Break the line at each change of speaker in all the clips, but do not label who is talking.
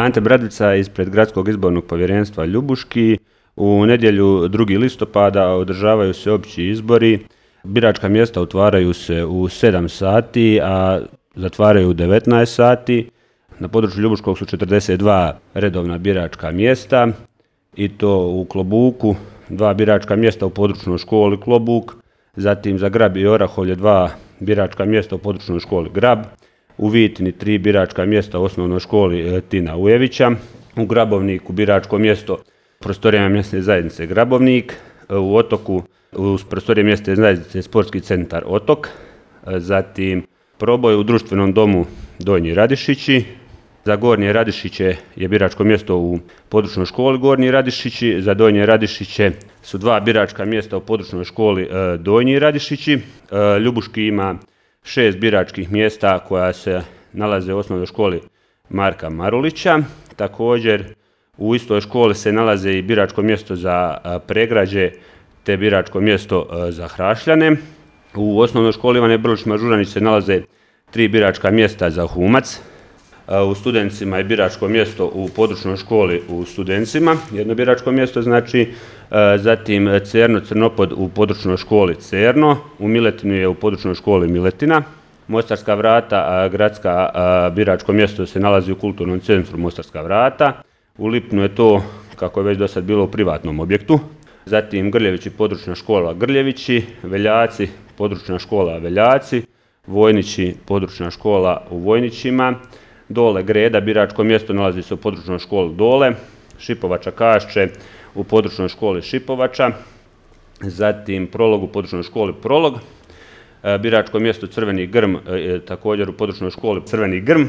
Ante Bradlica ispred Gradskog izbornog povjerenstva Ljubuški. U nedjelju 2. listopada održavaju se opći izbori. Biračka mjesta otvaraju se u 7 sati, a zatvaraju u 19 sati. Na području Ljubuškog su 42 redovna biračka mjesta i to u Klobuku 2 biračka mjesta u područnoj školi Klobuk, zatim za Grab i Orahovlje 2 biračka mjesta u područnoj školi Grab, u Vitini 3 biračka mjesta u osnovnoj školi Tina Ujevića, u Grabovniku biračko mjesto prostorijama mjesne zajednice Grabovnik, u Otoku u prostorije mjesne zajednice Sportski centar Otok, zatim proboj u društvenom domu Donji Radišići. Za Gornje Radišiće je biračko mjesto u područnoj školi Gornji Radišići, za Donje Radišiće su 2 biračka mjesta u područnoj školi Donji Radišići. Ljubuški ima 6 biračkih mjesta koja se nalaze u osnovnoj školi Marka Marulića. Također u istoj školi se nalaze i biračko mjesto za Pregrađe te biračko mjesto za Hrašljane. U osnovnoj školi Ivane Brlić Mažuranić se nalaze 3 biračka mjesta za Humac. U Studencima je biračko mjesto u područnoj školi u Studencima, jedno biračko mjesto znači, zatim Cerno Crnopod u područnoj školi Cerno, u Miletinu je u područnoj školi Miletina, Mostarska vrata, gradska biračko mjesto se nalazi u kulturnom centru Mostarska vrata, u Lipnu je to, kako je već do sad bilo, u privatnom objektu, zatim Grljevići područna škola Grljevići, Veljaci područna škola Veljaci, Vojnići područna škola u Vojnićima, Dole Greda biračko mjesto nalazi se u područnoj školi Dole, Šipovača Kašće u područnoj školi Šipovača, zatim Prolog u područnoj školi Prolog, biračko mjesto Crveni Grm također u područnoj školi Crveni Grm,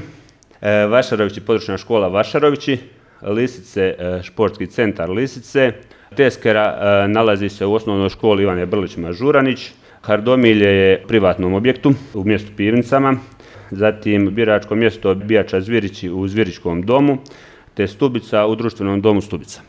Vašarovići područna škola Vašarovići, Lisice Športski centar Lisice, Teskera nalazi se u osnovnoj školi Ivane Brlić Mažuranić, Hardomilje je u privatnom objektu u mjestu Pivnicama, zatim biračko mjesto Bijača Zvirići u Zviričkom domu, te Stubica u društvenom domu Stubica.